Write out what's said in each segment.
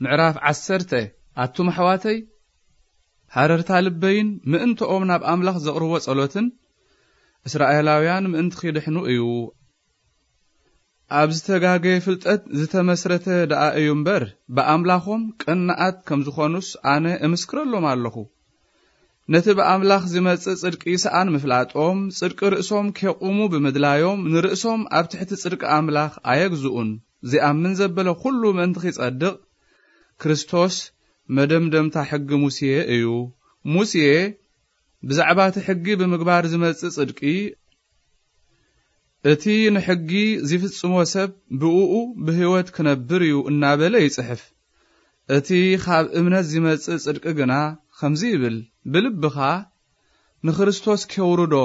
ምዕራፍ ዓሰርተ። ኣቱም ኣሕዋተይ፣ ሃረርታ ልበይን ምእንትኦም ናብ ኣምላኽ ዘቕርቦ ጸሎትን እስራኤላውያን ምእንቲ ኺድሕኑ እዩ። ኣብ ዝተጋገየ ፍልጠት ዝተመስረተ ደኣ እዩ እምበር፣ ብኣምላኾም ቀናኣት ከም ዝኾኑስ ኣነ እምስክረሎም ኣለኹ። ነቲ ብኣምላኽ ዝመጽእ ጽድቂ ሰኣን ምፍላጦም፣ ጽድቂ ርእሶም ኬቑሙ ብምድላዮም፣ ንርእሶም ኣብ ትሕቲ ጽድቂ ኣምላኽ ኣየግዝኡን። ዚኣምን ዘበለ ኹሉ ምእንቲ ኺጸድቕ፣ ክርስቶስ መደምደምታ ሕጊ ሙሴ እዩ። ሙሴ ብዛዕባ እቲ ሕጊ ብምግባር ዝመጽእ ጽድቂ፣ እቲ ንሕጊ ዚፍጽሞ ሰብ ብእኡ ብህይወት ክነብር እዩ እናበለ ይጽሕፍ። እቲ ኻብ እምነት ዚመጽእ ጽድቂ ግና ኸምዚ ይብል፣ ብልብኻ ንክርስቶስ ኬውርዶ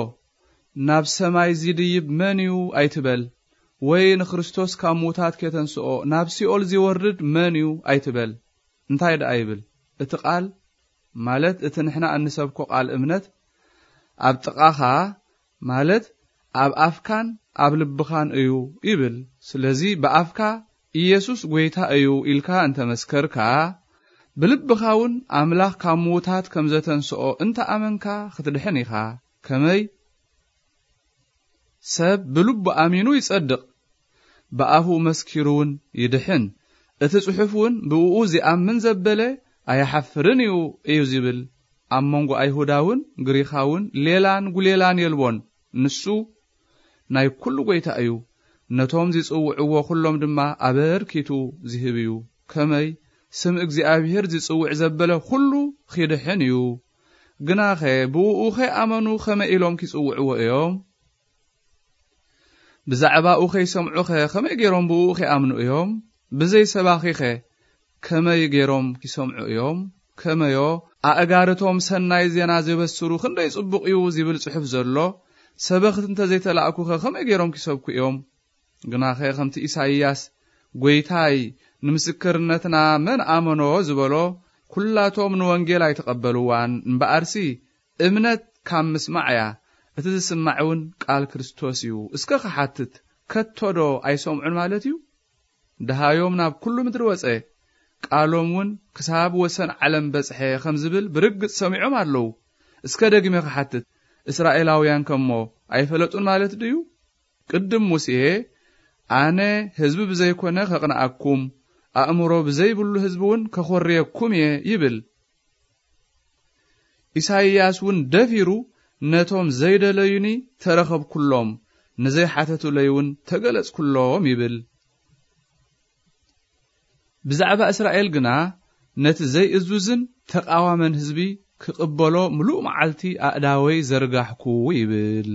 ናብ ሰማይ ዚድይብ መን እዩ ኣይትበል፣ ወይ ንክርስቶስ ካብ ምዉታት ኬተንስኦ ናብ ሲኦል ዚወርድ መን እዩ ኣይትበል። እንታይ ደኣ ይብል? እቲ ቃል፣ ማለት እቲ ንሕና እንሰብኮ ቃል እምነት፣ ኣብ ጥቓኻ፣ ማለት ኣብ ኣፍካን ኣብ ልብኻን እዩ ይብል። ስለዚ ብኣፍካ ኢየሱስ ጐይታ እዩ ኢልካ እንተ መስከርካ፣ ብልብኻ እውን ኣምላኽ ካብ ምዉታት ከም ዘተንስኦ እንተ ኣመንካ፣ ክትድሕን ኢኻ። ከመይ? ሰብ ብልቡ ኣሚኑ ይጸድቕ፣ ብኣፉ መስኪሩ እውን ይድሕን። እቲ ጽሑፍ እውን፣ "ብእኡ ዚኣምን ዘበለ ኣይሓፍርን እዩ" እዩ ዚብል። ኣብ መንጎ ኣይሁዳውን ግሪኻውን ሌላን ጒሌላን የልቦን። ንሱ ናይ ኩሉ ጐይታ እዩ። ነቶም ዚጽውዕዎ ኩሎም ድማ ኣበርኪቱ ዚህብ እዩ። ከመይ? ስም እግዚኣብሔር ዚጽውዕ ዘበለ ኩሉ ኺድሕን እዩ። ግናኸ ብእኡ ኸይኣመኑ ኸመይ ኢሎም ኪጽውዕዎ እዮም? ብዛዕባኡ ኸይሰምዑኸ ኸመይ ገይሮም ብእኡ ኺኣምኑ እዮም? ብዘይ ሰባኺኸ ከመይ ገይሮም ኪሰምዑ እዮም? ከመዮ፣ ኣእጋርቶም ሰናይ ዜና ዜበስሩ ክንደይ ጽቡቕ እዩ ዚብል ጽሑፍ ዘሎ ሰበኽቲ እንተ ዘይተላእኩኸ ኸመይ ገይሮም ኪሰብኩ እዮም? ግናኸ ኸምቲ ኢሳይያስ፣ "ጐይታይ፣ ንምስክርነትና መን ኣመኖ?" ዝበሎ፣ ኵላቶም ንወንጌል ኣይተቐበልዋን። እምበኣርሲ፣ እምነት ካብ ምስማዕ እያ፣ እቲ ዝስማዕ እውን ቃል ክርስቶስ እዩ። እስከ ኽሓትት፣ ከቶዶ ኣይሰምዑን ማለት እዩ? ደሃዮም ናብ ኩሉ ምድሪ ወጸ፣ ቃሎም እውን ክሳብ ወሰን ዓለም በጽሐ ኸም ዝብል ብርግጽ ሰሚዖም ኣለዉ። እስከ ደጊመ ክሓትት፣ እስራኤላውያን ከሞ ኣይፈለጡን ማለት ድዩ? ቅድም ሙሴ፣ "ኣነ ህዝቢ ብዘይኮነ ከቕንኣኩም፣ ኣእምሮ ብዘይብሉ ህዝቢ እውን ከኾርየኩም እየ" ይብል። ኢሳይያስ እውን ደፊሩ፣ "ነቶም ዘይደለዩኒ ተረኸብኩሎም፣ ንዘይሓተቱለይ እውን ተገለጽኩሎም" ይብል። ብዛዕባ እስራኤል ግና፣ "ነቲ ዘይእዙዝን ተቓዋመን ህዝቢ ክቕበሎ ምሉእ መዓልቲ ኣእዳወይ ዘርጋሕኩ" ይብል።